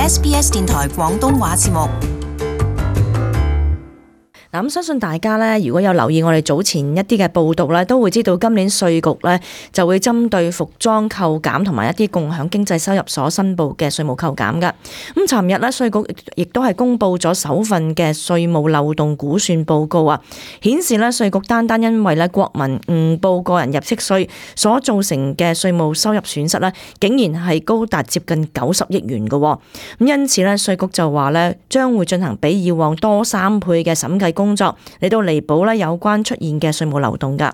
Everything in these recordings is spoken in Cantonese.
SBS 電台廣東話節目。咁相信大家咧，如果有留意我哋早前一啲嘅報道咧，都會知道今年稅局咧就會針對服裝扣減同埋一啲共享經濟收入所申報嘅稅務扣減㗎。咁尋日咧，稅局亦都係公布咗首份嘅稅務漏洞估算報告啊，顯示咧稅局單因為咧國民誤報個人入息稅所造成嘅稅務收入損失咧，竟然係高達接近90億元嘅。咁因此咧，稅局就話咧將會進行比以往多3倍嘅審計工作嚟到彌補咧有關出現嘅稅務漏洞㗎。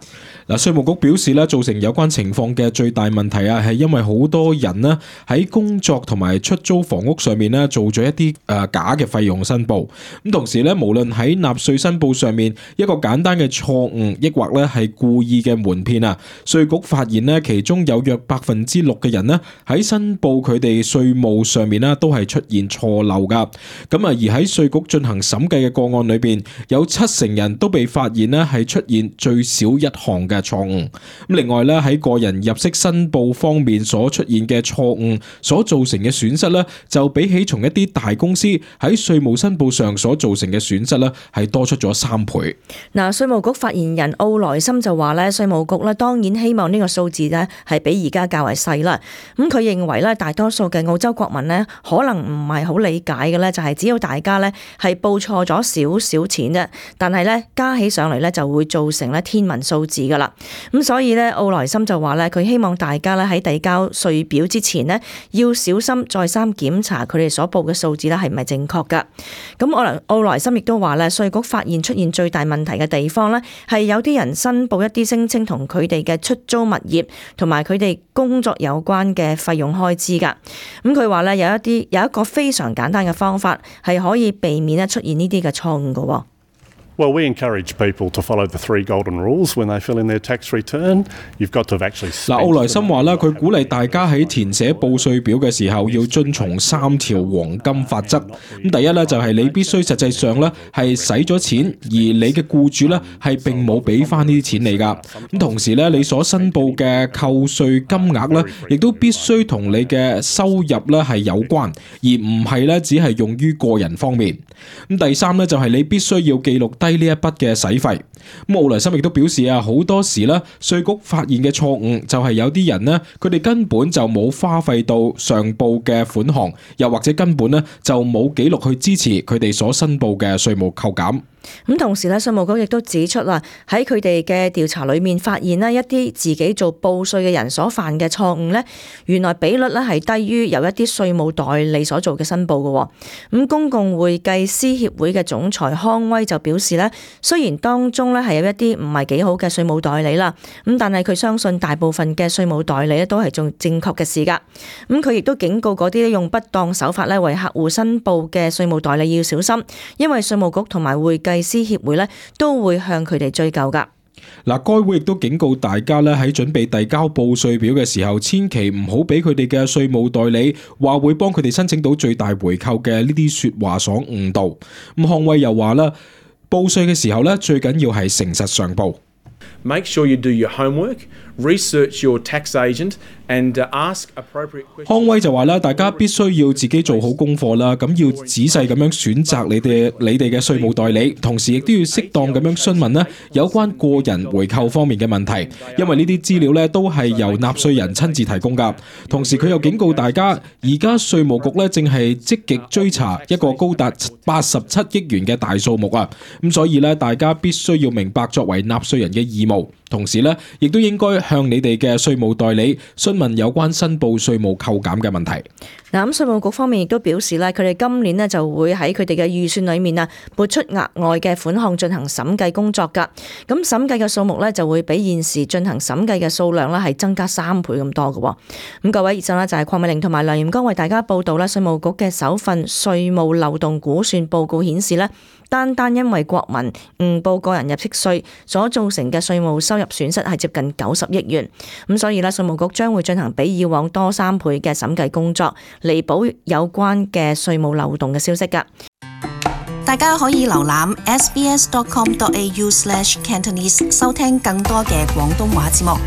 嗱，稅務局表示咧，造成有關情況嘅最大問題啊，係因為好多人呢喺工作同埋出租房屋上面呢做咗一啲假嘅費用申報。咁同時咧，無論喺納稅申報上面一個簡單嘅錯誤，抑或咧係故意嘅瞞騙啊，稅局發現呢其中有約6%嘅人呢喺申報佢哋稅務上面呢都係出現錯漏㗎。咁啊，而喺稅局進行審計嘅個案裏邊，有70%人都被發現呢係出現最少一項嘅錯誤。咁另外咧，喺個人入息申報方面所出現嘅錯誤所造成嘅損失咧，就比起從一啲大公司喺稅務申報上所造成嘅損失咧，係多出咗3倍。嗱，稅務局發言人奧萊森就話咧，稅務局咧當然希望呢個數字咧係比而家較為細啦。咁佢認為咧，大多數嘅澳洲國民咧可能唔係好理解嘅咧，就係只要大家咧係報錯咗少少錢啫，但係咧加起上嚟咧就會造成咧天文數字噶啦。咁所以咧，奧萊森就話咧，佢希望大家咧喺遞交稅表之前呢，要小心再三檢查佢哋所報嘅數字咧係唔係正確噶。咁奧萊森亦都話咧，稅局發現出現最大問題嘅地方咧，係有啲人申報一啲聲稱同佢哋嘅出租物業同埋佢哋工作有關嘅費用開支噶。咁佢話咧有一個非常簡單嘅方法係可以避免咧出現呢啲嘅錯誤噶。Well, we encourage people to follow the 3 golden rules when they fill in their tax return. You've got to have actually spent. 嗱，奧萊森話啦，佢鼓勵大家喺填寫報稅表嘅時候要遵從3條黃金法則。咁第一咧就係你必須實際上咧係使咗錢，而你嘅僱主咧係並冇俾翻呢啲錢你㗎。咁同時咧，你所申報嘅扣稅金額咧，亦都必須同你嘅收入咧係有關，而唔係咧只係用於個人方面。咁第3咧就係你必須要記錄低呢一筆嘅使費。咁奧萊森亦都表示啊，好多時咧稅局發現嘅錯誤就係有啲人呢，佢哋根本就冇花費到上報嘅款項，又或者根本呢就冇記錄去支持佢哋所申報嘅稅務扣減。咁同時咧，稅務局亦都指出啦，喺佢哋嘅調查裏面發現咧，一啲自己做報稅嘅人所犯嘅錯誤咧，原來比率咧係低於由一啲稅務代理所做嘅申報嘅。咁公共會計師協會嘅總裁康威就表示咧，雖然當中咧係有一啲唔係幾好嘅稅務代理啦，咁但係佢相信大部分嘅稅務代理咧都係做正確嘅事㗎。咁佢亦都警告嗰啲用不當手法咧為客戶申報嘅稅務代理要小心，因為稅務局同埋會計師協會咧都會向佢哋追究噶。嗱，該會亦都警告大家咧喺準備遞交報稅表嘅時候，千祈唔好俾佢哋嘅稅務代理話會幫佢哋申請到最大回扣嘅呢啲說話所誤導。咁康威又話啦，報稅嘅時候咧最緊要係誠實上報。Make sure you do your homework, research your tax agent and ask appropriate questions. 康威就話啦，大家必須要自己做好功課啦，咁要仔細咁樣選擇你哋嘅稅務代理，同時亦都要適當咁樣詢問咧有關個人回扣方面嘅問題，因為呢啲資料咧都係由納稅人親自提供噶。同時佢又警告大家，而家稅務局咧正係積極追查一個高達87億元嘅大數目啊，咁所以咧大家必須要明白作為納稅人嘅義務。同時咧，亦都應該向你哋嘅稅務代理詢問有關申報稅務扣減嘅問題。嗱，咁稅務局方面亦都表示咧，佢哋今年咧就會喺佢哋嘅預算裏面啊，撥出額外嘅款項進行審計工作㗎。咁審計嘅數目咧就會比現時進行審計嘅數量咧係增加3倍咁多嘅。咁各位，以上咧就係鄺美玲同埋梁炎光為大家報道啦。稅務局嘅首份稅務漏洞估算報告顯示咧，單因為國民誤報個人入息稅所造成嘅稅務收入損失係接近90億元。咁所以咧，稅務局將會進行比以往多3倍嘅審計工作，彌補有關嘅稅務漏洞嘅消息㗎。大家可以瀏覽 sbs.com.au/Cantonese 收聽更多嘅廣東話節目。